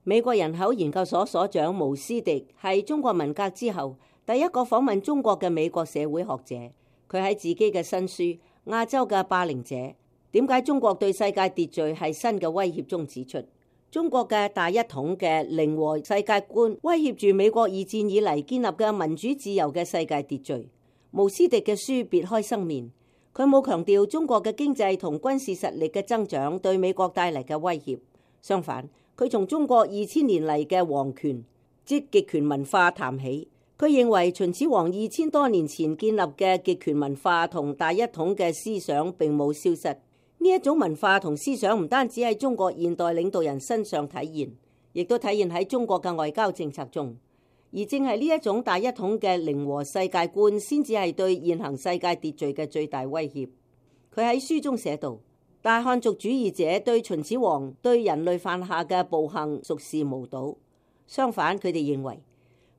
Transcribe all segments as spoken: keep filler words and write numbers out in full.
美國人口研究所所長毛斯迪係中國文革之後第一個訪問中國嘅美國社會學者。佢喺自己嘅新書《亞洲嘅霸凌者：點解中國對世界秩序係新嘅威脅》中指出，中國嘅大一統嘅零和世界觀威脅住美國二戰以嚟建立嘅民主自由嘅世界秩序。毛斯迪嘅書別開生面，佢冇強調中國嘅經濟同軍事實力嘅增長對美國帶嚟嘅威脅，相反，佢從中國二千年嚟嘅皇權即極權文化談起。佢認為秦始皇二千多年前建立嘅極權文化同大一統嘅思想並冇消失。呢一種文化同思想唔單止喺中國現代領導人身上體現，亦都體現喺中國嘅外交政策中。而正係呢一種大一統嘅零和世界觀，先至係對現行世界秩序嘅最大威脅。佢喺書中寫道：大漢族主義者對秦始皇對人類犯下嘅暴行熟視無睹，相反，佢哋認為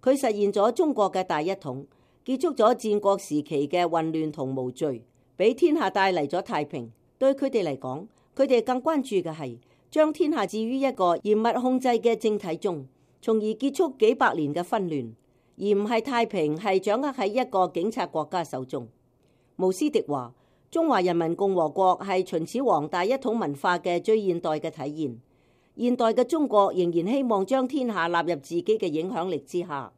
佢實現咗中國嘅大一統，結束咗戰國時期嘅混亂同無序，俾天下帶嚟咗太平。對佢哋嚟講，佢哋更關注嘅係將天下置於一個嚴密控制嘅政體中，從而結束幾百年嘅紛亂，而唔係太平係掌握喺一個警察國家手中。毛斯迪話：中華人民共和國係秦始皇大一統文化嘅最現代嘅體現。現代嘅中國仍然希望將天下納入自己嘅影響力之下。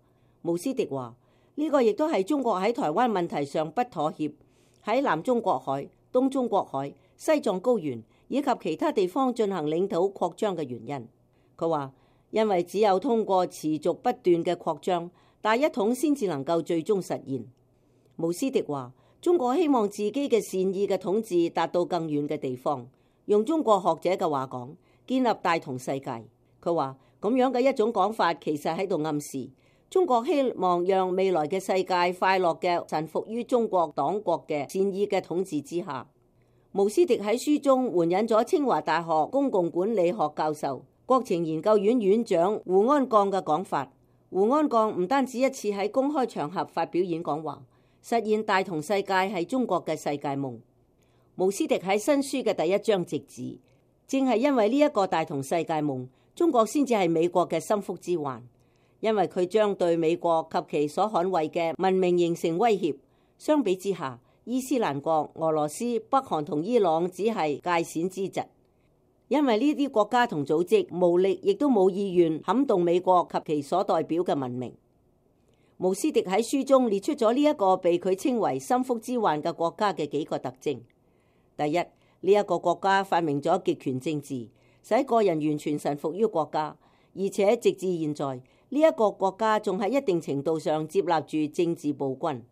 毛斯迪話：呢個亦都係中國喺台灣問題上不妥協，喺南中國海、東中國海、西藏高原以及其他地方進行領土擴張嘅原因。佢話：因為只有通過持續不斷嘅擴張，大一統先至能夠最終實現。毛斯迪話：中國希望自己嘅善意嘅統治達到更遠嘅地方，用中國學者嘅話講，建立大同世界。佢話咁樣嘅一種講法，其實喺度暗示中國希望讓未來嘅世界快樂嘅臣服於中國黨國嘅善意嘅統治之下。毛斯迪喺書中援引咗清華大學公共管理學教授、國情研究院院長胡安鋼嘅講法。胡安鋼唔單止一次喺公開場合發表演講話，實現大同世界係中國嘅世界夢。毛斯迪喺新書嘅第一章直指，正係因為呢一個大同世界夢，中國先至係美國嘅心腹之患，因為佢將對美國及其所捍衛嘅文明形成威脅。相比之下，伊斯蘭國、俄羅斯、北韓同伊朗只係界線之疾，因為呢啲國家同組織無力亦都冇意願撼動美國及其所代表嘅文明。毛斯迪喺書中列出咗呢一個被佢稱為心腹之患嘅國家嘅幾個特徵。第一，呢一個國家發明咗極權政治，使個人完全臣服於國家，而且直至現在，呢一個國家仲喺一定程度上接納住政治暴君。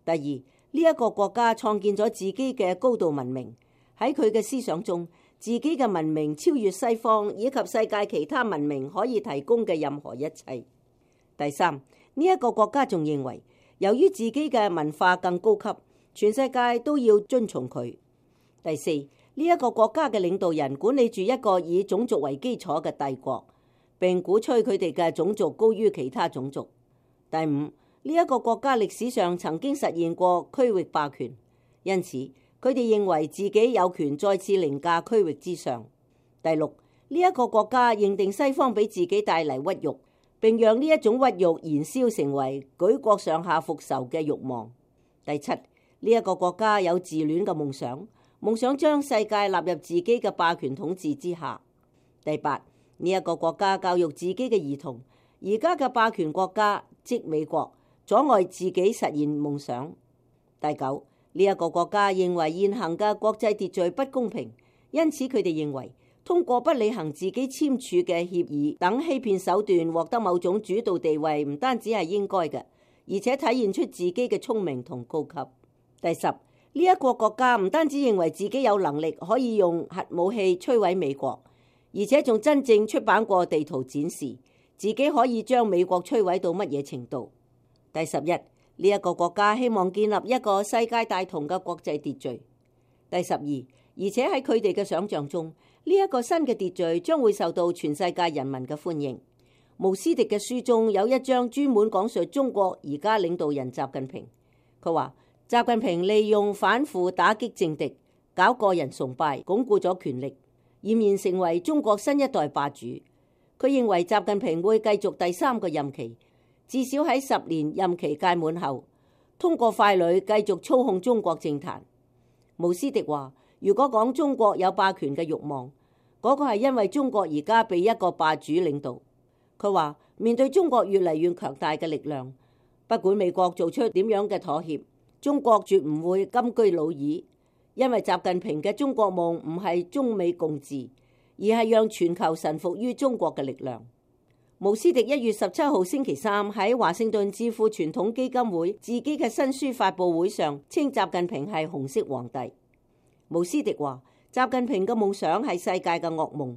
第二，呢一個國家創建咗自己嘅高度文明，喺佢嘅思想中，自己嘅文明超越西方以及世界其他文明可以提供嘅任何一切。第三，呢一個國家仲認為，由於自己嘅文化更高級，全世界都要遵從佢。第四，呢一個國家嘅領導人管理住一個以種族為基礎嘅帝國，並鼓吹佢哋嘅種族高於其他種族。第五，呢一個國家歷史上曾經實現過區域霸權，因此佢哋認為自己有權再次凌駕區域之上。第六，呢一個國家認定西方俾自己帶嚟屈辱，並讓呢一種屈辱燃燒成為舉國上下復仇嘅慾望。第七，呢一個國家有自戀嘅夢想，夢想將世界納入自己嘅霸權統治之下。第八，呢一個國家教育自己嘅兒童，而家嘅霸權國家即美國，阻礙自己實現夢想。第九，呢一個國家認為現行嘅國際秩序不公平，因此佢哋認為通過不履行自己簽署嘅協議等欺騙手段獲得某種主導地位，唔單止係應該嘅，而且體現出自己嘅聰明同高級。第十，呢一個國家唔單止認為自己有能力可以用核武器摧毀美國，而且仲真正出版過地圖展示自己可以將美國摧毀到乜嘢程度。第十一，呢一個國家希望建立一個世界大同嘅國際秩序。第十二，而且喺佢哋嘅想象中，呢一個新嘅秩序將會受到全世界人民嘅歡迎。毛斯迪嘅書中有一章專門講述中國而家領導人習近平。佢話習近平利用反腐打擊政敵，搞個人崇拜，鞏固咗權力，儼然成為中國新一代霸主。佢認為習近平會繼續第三個任期，至少喺十年任期屆滿後，通過傀儡繼續操控中國政壇。毛斯迪話：如果講中國有霸權嘅慾望，嗰個係因為中國而家被一個霸主領導。佢話面對中國越嚟越強大嘅力量，不管美國做出點樣嘅妥協，中國絕唔會金居老矣，因為習近平嘅中國夢唔係中美共治，而係讓全球臣服於中國嘅力量。毛斯迪一月十七號星期三喺華盛頓智庫傳統基金會自己嘅新書發佈會上，稱習近平係紅色皇帝。毛斯迪話：習近平嘅夢想係世界嘅噩夢。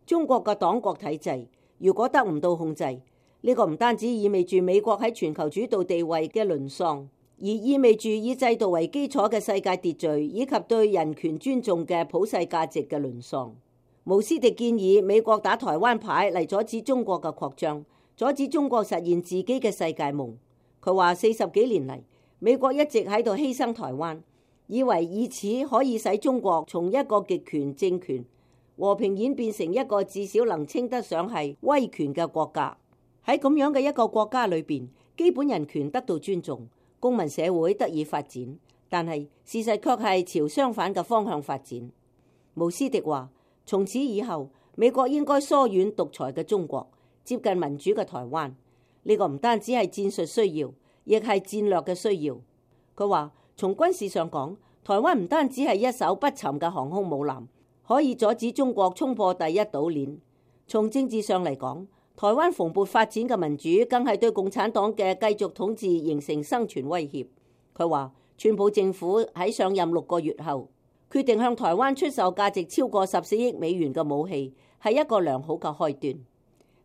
中國嘅黨國體制如果得唔到控制，呢個唔單止意味住美國喺全球主導地位嘅淪喪，而意味住以制度為基礎嘅世界秩序以及對人權尊重嘅普世價值嘅淪喪。毛斯迪建議美國打台灣牌嚟阻止中國嘅擴張，阻止中國實現自己嘅世界夢。佢話四十幾年嚟，美國一直喺度犧牲台灣，以為以此可以使中國從一個極權政權和平演變成一個至少能稱得上係威權嘅國家。喺咁樣嘅一個國家裏邊，基本人權得到尊重，公民社會得以發展，但係事實卻係朝相反嘅方向發展。毛斯迪話：從此以後，美國應該疏遠獨裁嘅中國，接近民主嘅台灣。呢個唔單止係戰術需要，亦係戰略嘅需要。佢話：從軍事上講，台灣唔單止係一艘不沉嘅航空母艦，可以阻止中國衝破第一島鏈。從政治上嚟講，台灣蓬勃發展嘅民主，更係對共產黨嘅繼續統治形成生存威脅。佢話：川普政府喺上任六個月後，決定向台灣出售價值超過十四億美元嘅武器，係一個良好嘅開端。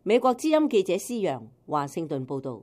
美國之音記者施洋，華盛頓報道。